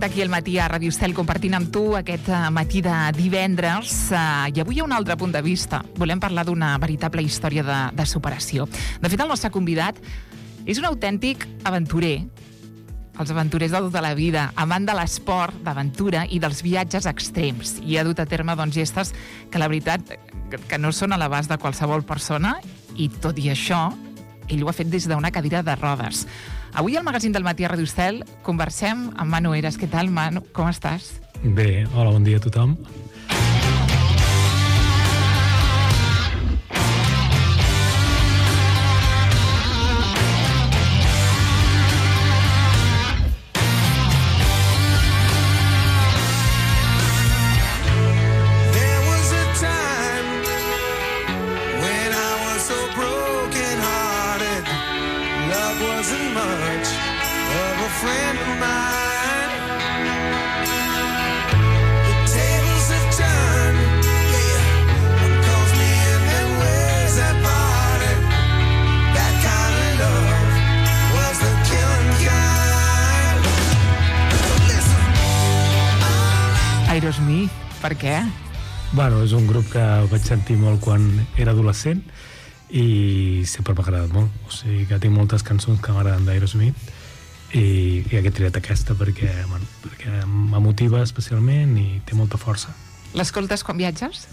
directe aquí al matí a Ràdio Estel compartint amb tu aquest matí de divendres i avui hi ha un altre punt de vista. Volem parlar d'una veritable història de superació. De fet, el nostre convidat és un autèntic aventurer. Els aventurers de tota la vida, amant de l'esport, d'aventura i dels viatges extrems. I ha dut a terme gestes que la veritat que no són a l'abast de qualsevol persona i tot i això ell ho ha fet des d'una cadira de rodes. Avui al magazín del matí a Ràdio Estel conversem amb Manu Eras. Què tal, Manu? Com estàs? Bé, hola, bon dia a tothom. Aerosmith, per què? Bueno, és un grup que vaig sentir molt quan era adolescent i sempre m'ha agradat molt. O sigui que tinc moltes cançons que m'agraden d'Aerosmith i he triat aquesta perquè m'emotiva especialment i té molta força. L'escoltes quan viatges?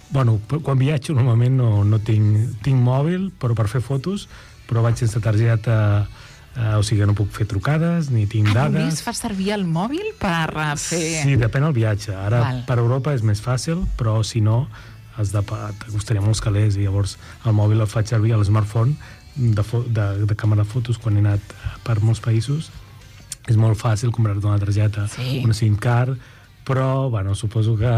Bueno, quan viatjo normalment no tinc mòbil però per fer fotos, però vaig sense targeta, o sigui que no puc fer trucades ni tinc dades. Només fas servir el mòbil per fer... Sí, depèn del viatge. Ara per Europa és més fàcil, però si no t'acostaria molts calés i llavors el mòbil el faig servir a l'smartphone de càmera de fotos quan he anat per molts països. És molt fàcil comprar-te una targeta, una SIM card, però bueno, suposo que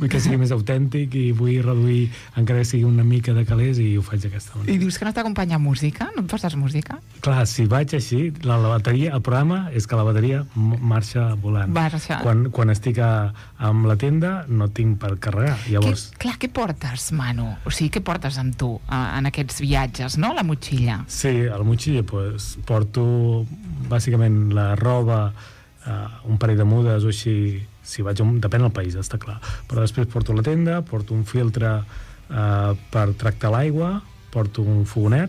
vull que sigui més autèntic i vull reduir encara que sigui una mica de calés i ho faig d'aquesta manera. I dius que no t'acompanya música? No et poses música? Clar, si vaig així, la bateria, el problema és que la bateria marxa volant. Quan estic amb la tenda no tinc per carregar. Llavors... Què portes, Manu? O sigui, què portes amb tu en aquests viatges, no? La motxilla. Sí, a la motxilla porto bàsicament la roba, un parell de mudes o així. Si vaig depèn del país, està clar. Però després porto la tenda, porto un filtre per tractar l'aigua, porto un fogonet,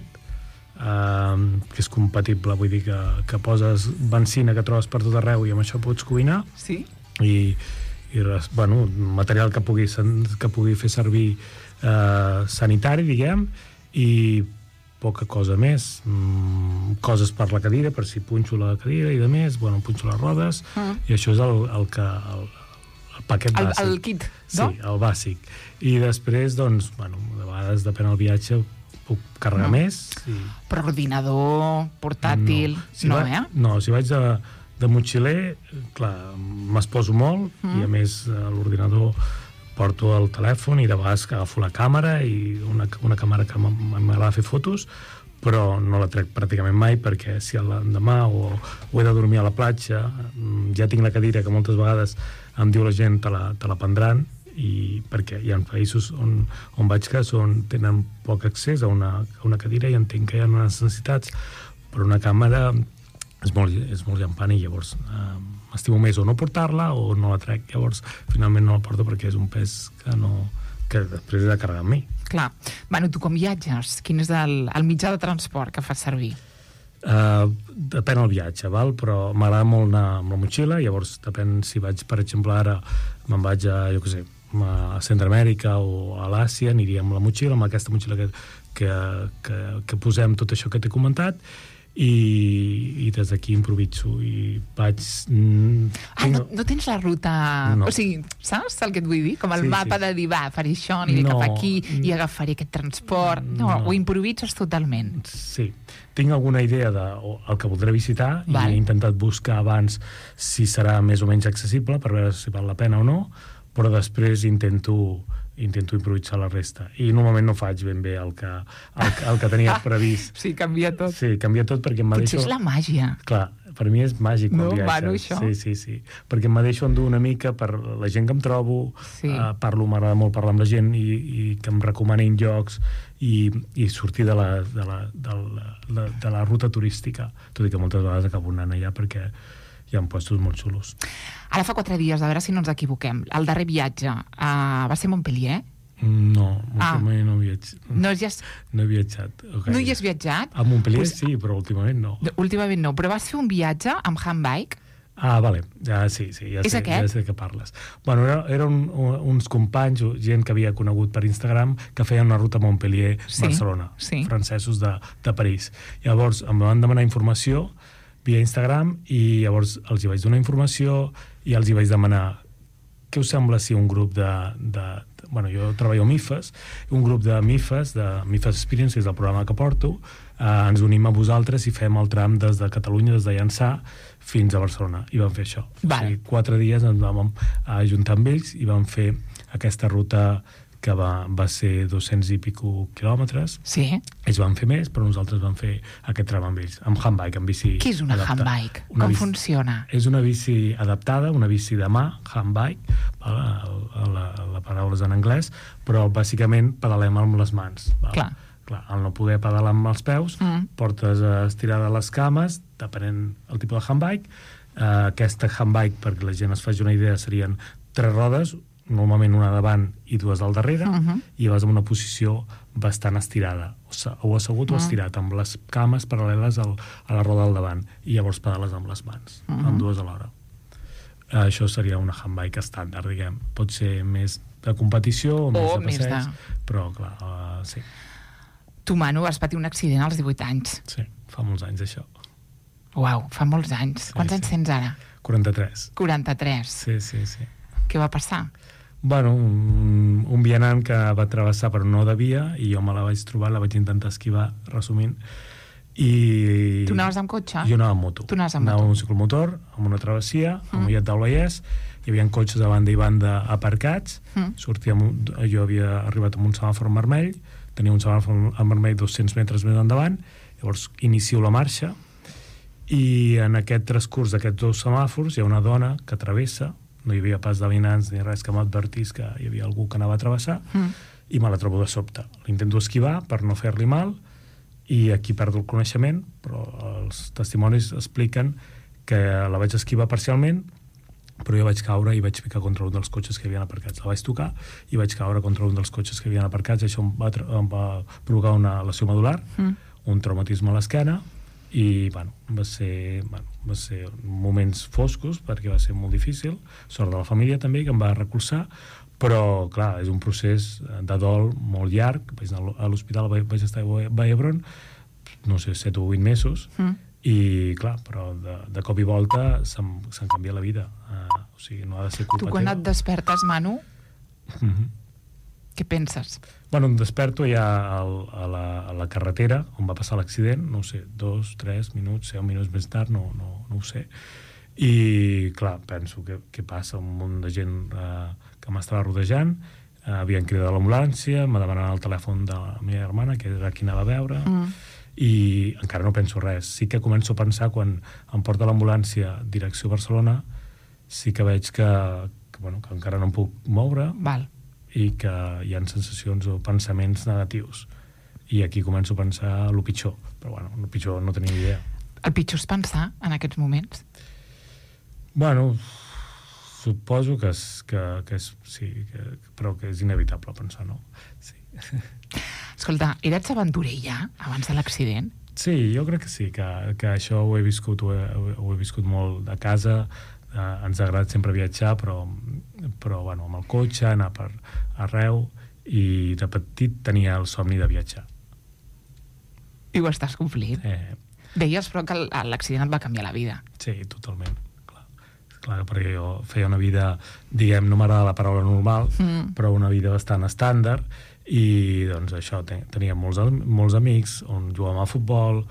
que és compatible, vull dir que poses benzina que trobes per tot arreu i amb això pots cuinar. Sí. I bueno, material que pugui fer servir sanitari, diguem, i poca cosa més. Coses per la cadira, per si punxo la cadira i de més, bueno, punxo les rodes, i això és el paquet bàsic. El kit, no? Sí, el bàsic. I després, doncs, bueno, de vegades, depèn del viatge, puc carregar més. Però ordinador, portàtil, No, si vaig de motxiler, clar, m'esposo molt, i a més l'ordinador porto el telèfon i de vegades agafo la càmera i una càmera que m'agrada fer fotos, però no la trec pràcticament mai perquè si l'endemà o he de dormir a la platja, ja tinc la cadira que moltes vegades em diu la gent te la prendran, i perquè hi ha països on vaig que tenen poc accés a una cadira i entenc que hi ha unes necessitats, però una càmera és molt llampant i llavors m'estimo més o no portar-la o no la trec, llavors finalment no la porto perquè és un pes que després he de carregar amb mi. Clar. Bueno, tu com viatges? Quin és el mitjà de transport que fas servir? Depèn del viatge, però m'agrada molt anar amb la motxilla, llavors depèn si vaig, per exemple, ara me'n vaig a Centroamèrica o a l'Àsia, aniria amb la motxilla, amb aquesta motxilla que posem tot això que t'he comentat, i des d'aquí improviso i vaig... No tens la ruta... No. O sigui, saps el que et vull dir? Com el mapa de dir, faré això, aniré cap aquí i agafaré aquest transport. No, ho improvises totalment. Sí. Tinc alguna idea del que voldré visitar i he intentat buscar abans si serà més o menys accessible per veure si val la pena o no, però després intento improvisar la resta. I normalment no faig ben bé el que tenia previst. Sí, canvia tot. Sí, canvia tot perquè em deixo... Potser és la màgia. Clar, per mi és màgic quan viatges. Bueno, això. Sí. Perquè em deixo endur una mica per la gent que em trobo, m'agrada molt parlar amb la gent i que em recomanin llocs i sortir de la ruta turística. Tot i que moltes vegades acabo anant allà perquè hi ha puestos molt xulos. Ara fa 4 dies, a veure si no ens equivoquem, el darrer viatge va ser Montpellier? No, últimament no he viatjat. No he viatjat. Okay. No hi has viatjat? A Montpellier sí, però últimament no. Últimament no, però vas fer un viatge amb handbike? Vale, sí, ja sé de què parles. Bueno, eren uns companys, gent que havia conegut per Instagram, que feien una ruta a Montpellier-Barcelona, francesos de París. Llavors em van demanar informació via Instagram i llavors els hi vaig donar informació i els hi vaig demanar què us sembla si un grup bueno, jo treballo a MIFES, un grup de MIFES Experience, és el programa que porto, ens unim a vosaltres i fem el tram des de Catalunya, des de Llançà, fins a Barcelona, i vam fer això. O sigui, 4 dies ens vam ajuntar amb ells i vam fer aquesta ruta que va ser 200 i pico quilòmetres. Sí. Ells van fer més, però nosaltres vam fer aquest tram amb ells, amb handbike, amb bici. Què és una handbike? Com funciona? És una bici adaptada, una bici de mà, handbike, la paraula és en anglès, però bàsicament pedalem amb les mans. Clar, al no poder pedalar amb els peus, portes estirada les cames, depenent el tipus de handbike. Aquesta handbike, perquè la gent es faci una idea, serien 3 rodes, normalment una davant i 2 al darrere, i vas en una posició bastant estirada, o assegut o estirat, amb les cames paral·leles a la roda del davant, i llavors pedales amb les mans, amb 2 alhora. Això seria una handbike estàndard, diguem. Pot ser més de competició o més de passeig, però clar, sí. Tu, Manu, vas patir un accident als 18 anys. Sí, fa molts anys, això. Uau, fa molts anys. Quants anys tens ara? 43. 43? Sí. Què va passar? Bueno, un vianant que va travessar però no devia, i jo me la vaig trobar, la vaig intentar esquivar, resumint, i... Tu anaves amb cotxe? Jo anava amb moto. Tu anaves amb moto? Anava amb un ciclomotor, amb una travessia, amb Mollet del Vallès, hi havia cotxes a banda i banda aparcats, jo havia arribat amb un semàfor vermell, tenia un semàfor vermell 200 metres més endavant, llavors inicio la marxa, i en aquest transcurs d'aquests 2 semàfors hi ha una dona que travessa, no hi havia pas de veïnants ni res que m'advertís que hi havia algú que anava a travessar, i me la trobo de sobte. L'intento esquivar per no fer-li mal, i aquí perdo el coneixement, però els testimonis expliquen que la vaig esquivar parcialment, però jo vaig caure i vaig picar contra un dels cotxes que hi havia aparcats. La vaig tocar i vaig caure contra un dels cotxes que hi havia aparcats, i això em va provocar una lesió medular, un traumatisme a l'esquena, i bueno, va ser moments foscos perquè va ser molt difícil, sort de la família també que em va recolzar, però clar, és un procés de dol molt llarg. Vaig anar a l'hospital, vaig estar a Vallhebron, no sé, 7 o 8 mesos, i clar, però de cop i volta se'm canvia la vida, o sigui, no ha de ser culpa teva. Tu quan et despertes, Manu, què penses? Bueno, em desperto ja a la carretera on va passar l'accident, no sé, 2, 3 minuts, 10 minuts més tard, no ho sé. I, clar, penso què passa, un munt de gent que m'estava rodejant, havien cridat l'ambulància, me demanaven el telèfon de la meva germana, que era qui anava a veure, i encara no penso res. Sí que començo a pensar, quan em porta l'ambulància direcció Barcelona, sí que veig que encara no em puc moure, i que hi ha sensacions o pensaments negatius. I aquí començo a pensar el pitjor. Però bueno, el pitjor no tenia idea. El pitjor és pensar en aquests moments? Bueno, suposo que sí, però que és inevitable pensar, no? Sí. Escolta, eres aventurer ja, abans de l'accident? Sí, jo crec que sí, que això ho he viscut molt a casa. Ens ha agradat sempre viatjar, però bueno, amb el cotxe, anar per arreu, i de petit tenia el somni de viatjar. I ho estàs complint. Deies, però, que l'accident et va canviar la vida. Sí, totalment. Clar, perquè jo feia una vida, diguem, no m'agrada la paraula normal, però una vida bastant estàndard, i doncs això, tenia molts amics on jugàvem a futbol,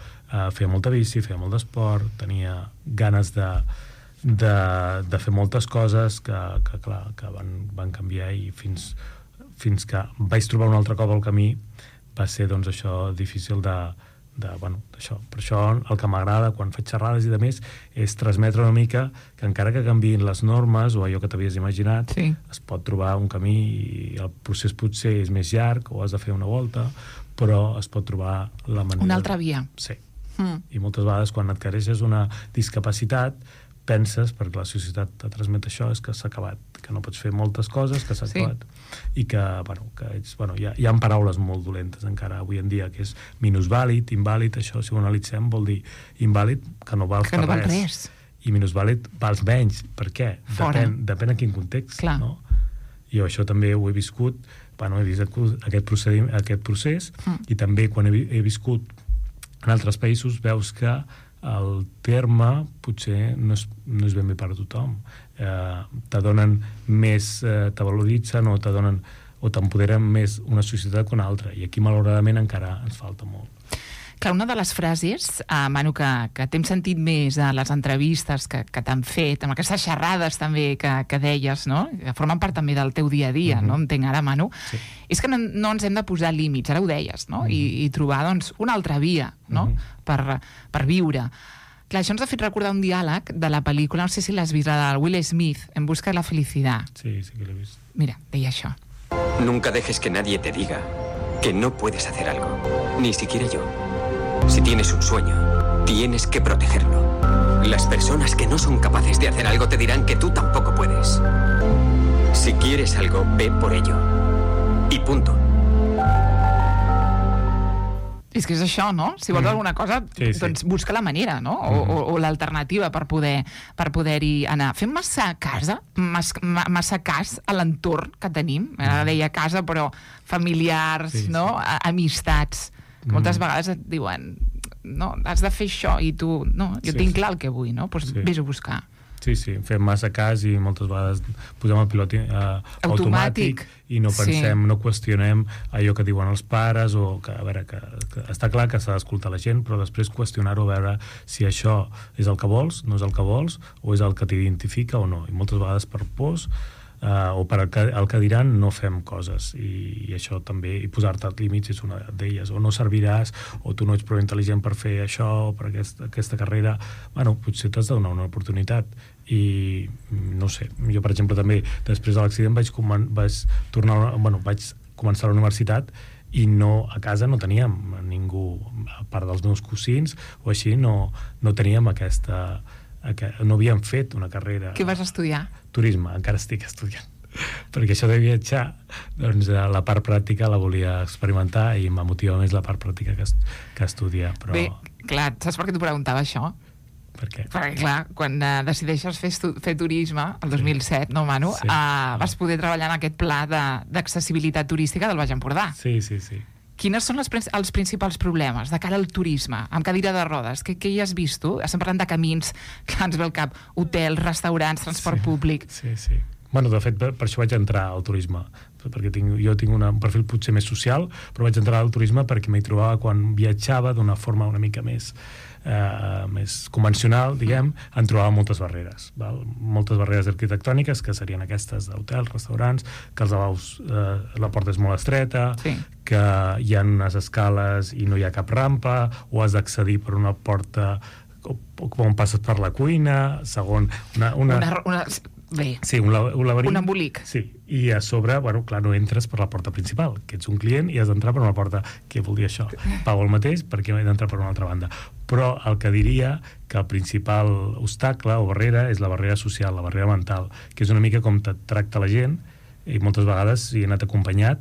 feia molta bici, feia molt d'esport, tenia ganes de fer moltes coses que van canviar, i fins que vaig trobar un altre cop al camí va ser, doncs, això difícil d'això. Per això el que m'agrada quan faig xerrades i de més és transmetre una mica que encara que canviïn les normes o allò que t'havies imaginat, es pot trobar un camí, i el procés potser és més llarg o has de fer una volta, però es pot trobar la manera... Una altra via. Sí. I moltes vegades quan adquireixes una discapacitat penses, perquè la societat te transmet això, és que s'ha acabat, que no pots fer moltes coses, que s'ha acabat, i que, hi ha paraules molt dolentes encara avui en dia, que és minusvàlid, invàlid, això, si ho analitzem, vol dir invàlid, que no vals per res. I minusvàlid vals menys. Per què? Depèn en quin context. No? I això també ho he viscut, he vist aquest procés, i també quan he viscut en altres països veus que el terme potser no és ben bé per a tothom. Te donen més, te valoritzen o t'empoderen més una societat que una altra, i aquí malauradament encara ens falta molt. Clar, una de les frases, Manu, que t'hem sentit més a les entrevistes que t'han fet, amb aquestes xerrades també que deies, no? Que formen part també del teu dia a dia, no? Entenc ara, Manu, és que no ens hem de posar límits, ara ho deies, no? I trobar, doncs, una altra via, no? Per viure. Clar, això ens ha fet recordar un diàleg de la pel·lícula, no sé si l'has vist, la de Will Smith, En busca de la felicidad. Sí que l'he vist. Mira, deia això. Nunca dejes que nadie te diga que no puedes hacer algo, ni siquiera yo. Si tienes un sueño, tienes que protegerlo. Las personas que no son capaces de hacer algo te dirán que tú tampoco puedes. Si quieres algo, ve por ello. Y punto. És que és això, no? Si vols alguna cosa, doncs busca la manera, no? O l'alternativa per poder-hi anar. Fem massa cas a l'entorn que tenim. Ara deia casa, però familiars, no? Amistats. Moltes vegades et diuen, no, has de fer això, i tu, no, jo tinc clar el que vull, no? Doncs vés a buscar. Sí, fem massa cas i moltes vegades posem el pilot automàtic i no pensem, no qüestionem allò que diuen els pares, o que, a veure, que està clar que s'ha d'escoltar la gent, però després qüestionar-ho, a veure si això és el que vols, no és el que vols, o és el que t'identifica o no. I moltes vegades per pors o per el que diran no fem coses, i això també, i posar-te límits és una d'elles, o no serviràs, o tu no ets prou intel·ligent per fer això, o per aquesta carrera. Potser t'has de donar una oportunitat. I no sé, jo per exemple també després de l'accident vaig començar la universitat, i a casa no teníem ningú, a part dels meus cosins o així, no teníem no havíem fet una carrera. Què vas estudiar? Turisme, encara estic estudiant. Perquè això de viatjar, doncs la part pràctica la volia experimentar i m'ha motivat més la part pràctica que estudiar. Bé, clar, saps per què t'ho preguntava això? Per què? Perquè, clar, quan decideixes fer turisme, el 2007, no, Manu? Vas poder treballar en aquest pla d'accessibilitat turística del Baix Empordà. Sí. Quines són els principals problemes de cara al turisme, amb cadira de rodes? Què hi has vist, tu? Estem parlant de camins, clar, ens ve al cap, hotels, restaurants, transport públic... Sí. De fet, per això vaig entrar al turisme, perquè jo tinc un perfil potser més social, però vaig entrar al turisme perquè m'hi trobava quan viatjava d'una forma una mica més convencional, diguem, en trobava moltes barreres. Moltes barreres arquitectòniques, que serien aquestes d'hotels, restaurants, que els lavabos, la porta és molt estreta, que hi ha unes escales i no hi ha cap rampa, o has d'accedir per una porta on passes per la cuina, segon... Sí, un laberint. Un embolic. Sí, i a sobre, clar, no entres per la porta principal, que ets un client i has d'entrar per una porta. Què vol dir això? Pago el mateix perquè he d'entrar per una altra banda. Però el que diria que el principal obstacle o barrera és la barrera social, la barrera mental, que és una mica com te tracta la gent, i moltes vegades, si he anat acompanyat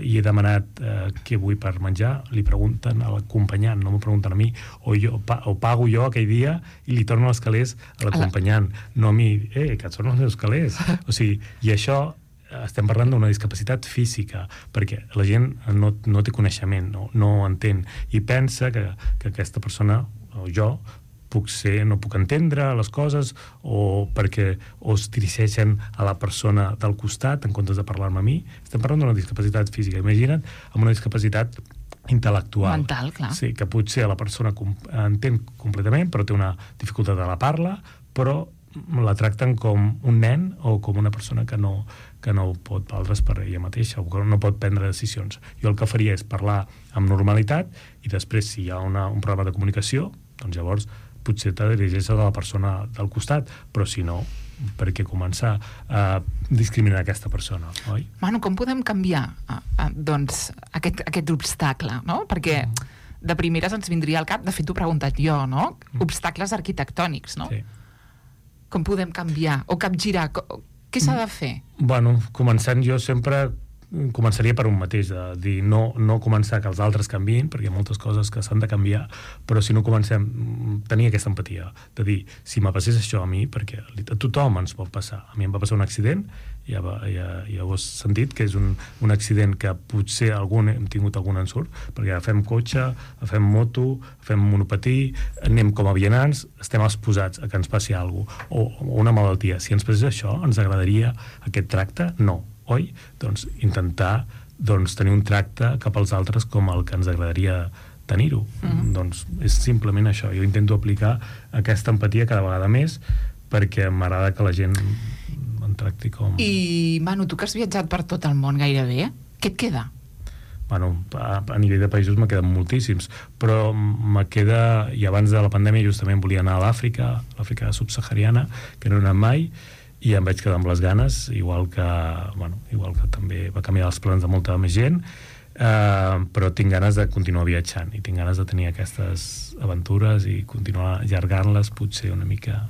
i he demanat què vull per menjar, li pregunten a l'acompanyant, no m'ho pregunten a mi, o pago jo aquell dia i li torno els calés a l'acompanyant, no a mi, que et són els meus calés. O sigui, i això estem parlant d'una discapacitat física, perquè la gent no té coneixement, no entén, i pensa que aquesta persona, o jo, no puc entendre les coses, o perquè es dirigeixen a la persona del costat en comptes de parlar-me a mi. Estem parlant d'una discapacitat física. Imagina't amb una discapacitat intel·lectual. Mental, clar. Sí, que potser la persona entén completament, però té una dificultat a la parla, però la tracten com un nen o com una persona que no pot valdre's per ella mateixa, o que no pot prendre decisions. Jo el que faria és parlar amb normalitat, i després, si hi ha un problema de comunicació, doncs llavors potser te dirigeixes a la persona del costat, però si no, per què començar a discriminar aquesta persona, oi? Manu, com podem canviar doncs aquest obstacle, no? Perquè de primeres ens vindria al cap, de fet t'ho he preguntat jo, no? Obstacles arquitectònics, no? Sí. Com podem canviar o capgirar? Què s'ha de fer? Bueno, començant jo sempre començaria per un mateix, de dir no començar que els altres canviïn, perquè hi ha moltes coses que s'han de canviar, però si no comencem tenir aquesta empatia, de dir si me passés això a mi, perquè a tothom ens pot passar. A mi em va passar un accident, ja ho has sentit, que és un accident que potser hem tingut algun ensurt, perquè agafem cotxe, agafem moto, agafem monopatí, anem com a vianants, estem exposats a que ens passi alguna cosa, o una malaltia. Si ens passés això, ens agradaria aquest tracte? No. Oi? Doncs intentar tenir un tracte cap als altres com el que ens agradaria tenir-ho. Doncs és simplement això. Jo intento aplicar aquesta empatia cada vegada més perquè m'agrada que la gent em tracti com... I, Manu, tu que has viatjat per tot el món gairebé, què et queda? Bueno, a nivell de països me queden moltíssims, però me queda... I abans de la pandèmia justament volia anar a l'Àfrica subsahariana, que no he anat mai, i em vaig quedar amb les ganes, igual que també va canviar els plans de molta més gent, però tinc ganes de continuar viatjant i tinc ganes de tenir aquestes aventures i continuar allargant-les potser una mica.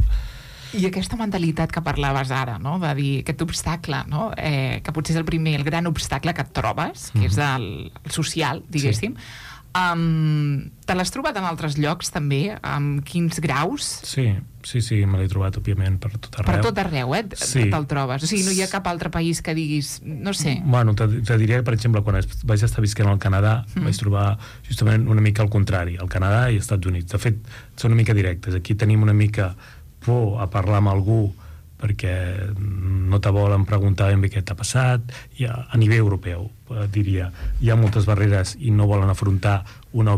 I aquesta mentalitat que parlaves ara, no? De dir aquest obstacle, no? Que potser és el gran obstacle que et trobes, que és el social, diguéssim. Sí. Te l'has trobat en altres llocs també? Amb quins graus? Sí, me l'he trobat òbviament per tot arreu. Per tot arreu, Sí. Te'l trobes? O sigui, no hi ha cap altre país que diguis, no sé. Bueno, te diria, per exemple, quan vaig estar visquent al Canadà, vaig trobar justament una mica al contrari, al Canadà i als Estats Units. De fet, són una mica directes. Aquí tenim una mica por a parlar amb algú perquè no te volen preguntar ben bé què t'ha passat, i a nivell europeu, diria, hi ha moltes barreres i no volen afrontar una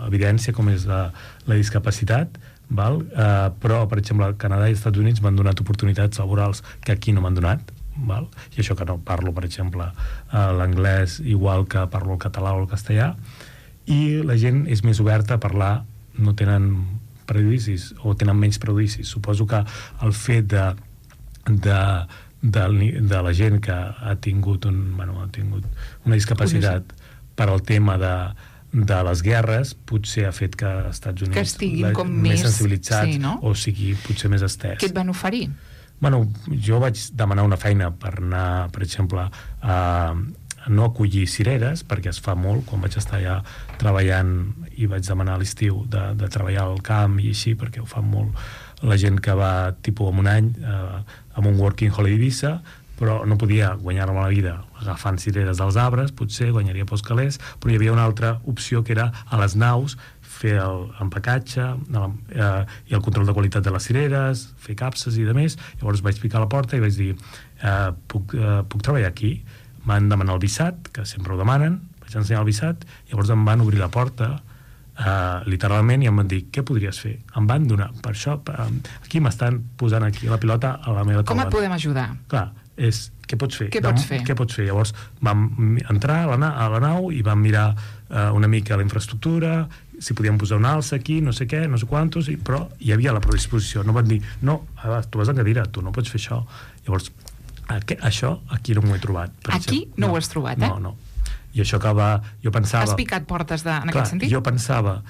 evidència com és la discapacitat, val? Però, per exemple, el Canadà i els Estats Units m'han donat oportunitats laborals que aquí no m'han donat, val? I això que no parlo, per exemple, l'anglès igual que parlo el català o el castellà, i la gent és més oberta a parlar, no tenen prejudicis o tenen menys prejudicis. Suposo que el fet de la gent que ha tingut una discapacitat per al tema de les guerres potser ha fet que als Estats Units que estiguin com més sensibilitzats, sí, no? O sigui potser més estès. Què et van oferir? Bueno, jo vaig demanar una feina per anar, per exemple, a no acollir cireres, perquè es fa molt, quan vaig estar allà treballant i vaig demanar a l'estiu de treballar al camp i així, perquè ho fan molt la gent que va tipus en un any amb un working holiday visa, però no podia guanyar-me la vida agafant cireres dels arbres, potser guanyaria pels calés, però hi havia una altra opció que era a les naus fer l'empacatge i el control de qualitat de les cireres, fer capses i demés. Llavors vaig picar a la porta i vaig dir puc treballar aquí? M'han demanat el visat, que sempre ho demanen, vaig ensenyar el visat, llavors em van obrir la porta literalment i em van dir, què podries fer? Em van donar, per això aquí m'estan posant aquí la pilota a la meva taula. Com et podem ajudar? Clar, és, què pots fer? Què pots fer? Què pots fer? Llavors vam entrar a la nau i vam mirar una mica la infraestructura, si podíem posar un alça aquí, no sé què, no sé quantos, però hi havia la predisposició. No van dir, no, tu vas en cadira, tu no pots fer això. Llavors, això aquí no m'ho he trobat. Aquí no ho has trobat, No. I això que jo pensava... Has picat portes en aquest sentit? Jo pensava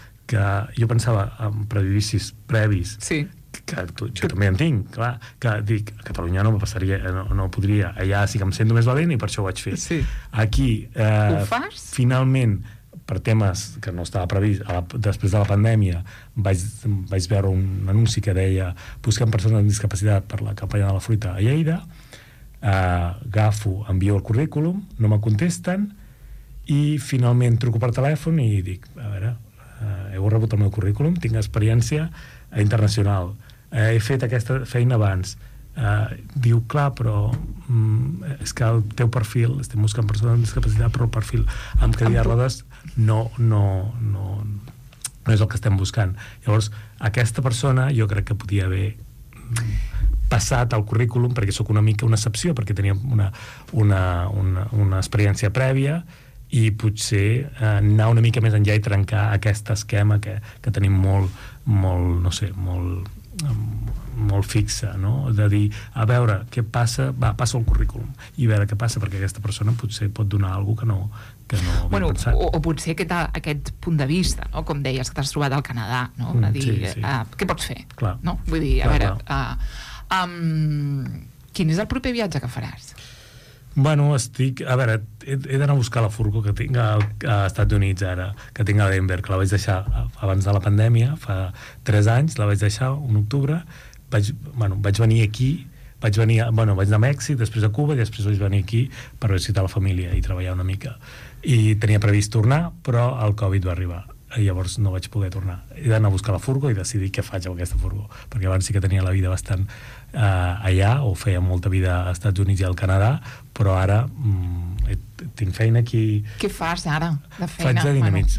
en prejudicis previs, sí, que jo també en tinc, clar, que dic, a Catalunya no me passaria, no podria, allà sí que em sento més valent i per això ho vaig fer. Sí. Aquí, ho fas? Finalment, per temes que no estava previst, després de la pandèmia vaig veure un anunci que deia buscant persones amb discapacitat per la campanya de la fruita a Lleida, agafo, envio el currículum, no me contesten i finalment truco per telèfon i dic, a veure, heu rebut el meu currículum, tinc experiència internacional, he fet aquesta feina abans, diu, clar, però és que el teu perfil, estem buscant persones amb discapacitat, però el perfil amb cadira de rodes no és el que estem buscant. Llavors, aquesta persona jo crec que podia haver passat al currículum, perquè sóc una mica una excepció, perquè tenia una experiència prèvia i potser anar una mica més enllà i trencar aquest esquema que tenim molt no sé, molt fixe, no? De dir, a veure què passa, passa el currículum i a veure què passa, perquè aquesta persona potser pot donar alguna cosa que no havia pensat. O potser aquest punt de vista, no? Com deies, que t'has trobat al Canadà, no? De dir, què pots fer? Clar. No? Vull dir, a veure, quin és el proper viatge que faràs? Bueno, a veure, he d'anar a buscar la furgo que tinc als Estats Units ara, que tinc a Denver, que la vaig deixar abans de la pandèmia, fa 3 anys, la vaig deixar un octubre, vaig venir aquí, vaig anar a Mèxic, després a Cuba, i després vaig venir aquí per visitar la família i treballar una mica. I tenia previst tornar, però el Covid va arribar. I llavors no vaig poder tornar. He d'anar a buscar la furgo i decidir què faig amb aquesta furgo, perquè abans sí que tenia la vida bastant allà, o feia molta vida als Estats Units i al Canadà, però ara tinc feina aquí. Què fas ara de feina?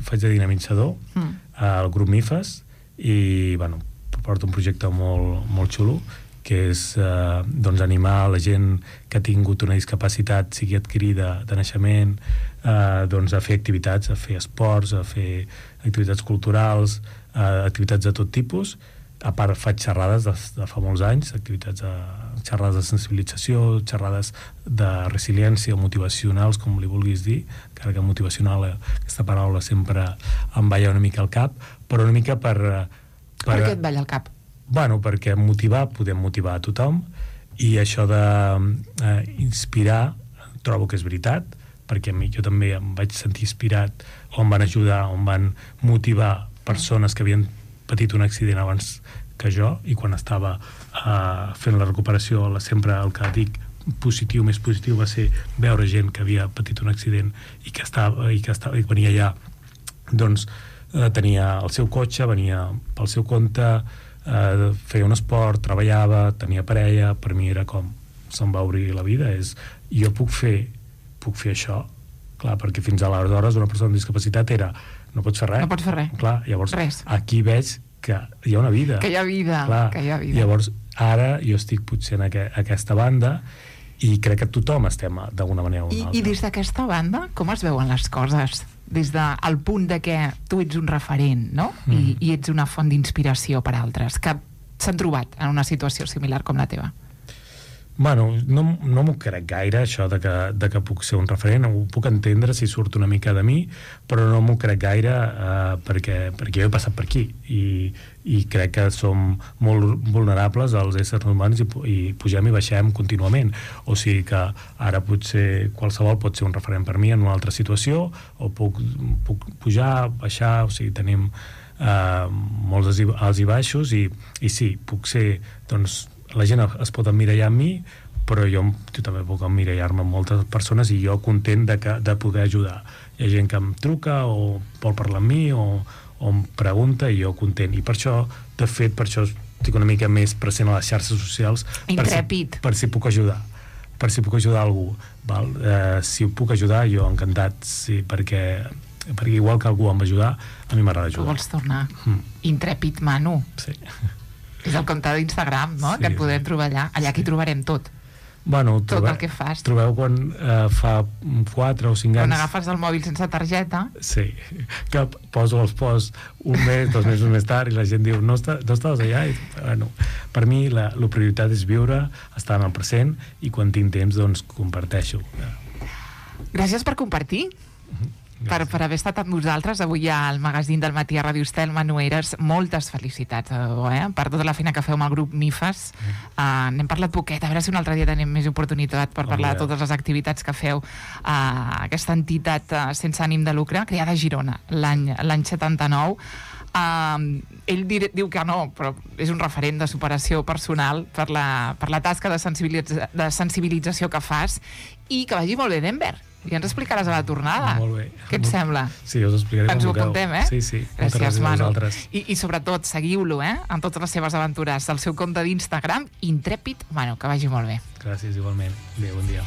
Faig de dinamitzador al grup MIFAS i porto un projecte molt, molt xulo, que és animar la gent que ha tingut una discapacitat, sigui adquirida de naixement, a fer activitats, a fer esports, a fer activitats culturals, activitats de tot tipus. A part, faig xerrades de fa molts anys, xerrades de sensibilització, xerrades de resiliència o motivacionals, com li vulguis dir, encara que motivacional, aquesta paraula sempre em balla una mica al cap, però una mica per què et balla al cap? Bueno, perquè podem motivar a tothom, i això d'inspirar trobo que és veritat, perquè jo també em vaig sentir inspirat, on van ajudar, on van motivar persones que havien patit un accident abans que jo, i quan estava fent la recuperació, sempre el que dic més positiu va ser veure gent que havia patit un accident i que venia allà, doncs tenia el seu cotxe, venia pel seu compte, feia un esport, treballava, tenia parella. Per mi era com se'm va obrir la vida, jo puc fer això, clar, perquè fins aleshores una persona amb discapacitat era no pots fer res. No pots fer res. Clar, llavors aquí veig que hi ha una vida. Que hi ha vida. Clar, que hi ha vida. Llavors ara jo estic potser en aquesta banda i crec que tothom estem d'alguna manera o una altra. I des d'aquesta banda, com es veuen les coses? Des del punt de que tu ets un referent, no? I ets una font d'inspiració per a altres que s'han trobat en una situació similar com la teva. Bueno, no m'ho crec gaire, això de que puc ser un referent. Ho puc entendre si surt una mica de mi, però no m'ho crec gaire perquè jo he passat per aquí i crec que som molt vulnerables als éssers humans i pugem i baixem contínuament. O sigui que ara potser qualsevol pot ser un referent per mi en una altra situació, o puc pujar, baixar, o sigui, tenim molts alts i baixos, i sí, puc ser, doncs, la gent es pot emmirallar en mi, però jo també puc emmirallar-me en moltes persones, i jo content de poder ajudar. Hi ha gent que em truca o vol parlar amb mi o em pregunta, i jo content. I per això, de fet, estic una mica més present a les xarxes socials. Intrèpid. Per si puc ajudar. Per si puc ajudar algú. Si ho puc ajudar, jo encantat, sí, perquè igual que algú em va ajudar, a mi m'agrada ajudar. Tu vols tornar. Intrèpid, Manu. Sí. És el compte d'Instagram, no? Sí. Que et podem trobar allà. Allà aquí trobarem tot. Bueno, tot el que fas. Trobeu quan fa 4 o 5 anys... Quan agafes el mòbil sense targeta... Sí, que poso els posts un mes, 2 mesos més tard, i la gent diu, no estaves allà? Bueno, per mi la prioritat és viure, estar en el present, i quan tinc temps, doncs, comparteixo. Gràcies per compartir. Per haver estat amb nosaltres avui al magazín del matí a Ràdio Estel. Manu Eres, moltes felicitats per tota la feina que feu amb el grup MIFAS. N'hem parlat poquet, a veure si un altre dia tenim més oportunitat per parlar de totes les activitats que feu aquesta entitat sense ànim de lucre, creada a Girona l'any 79. Ell diu que no, però és un referent de superació personal per la tasca de sensibilització que fas, i que vagi molt bé Denver. I ens explicaràs a la tornada. Molt bé. Què et sembla? Sí, us explicaré ens ho apuntem, Sí. Gràcies, Manu. I sobretot, seguiu-lo, en totes les seves aventures. El seu compte d'Instagram, Intrèpid Manu, que vagi molt bé. Gràcies, igualment. Bé, bon dia.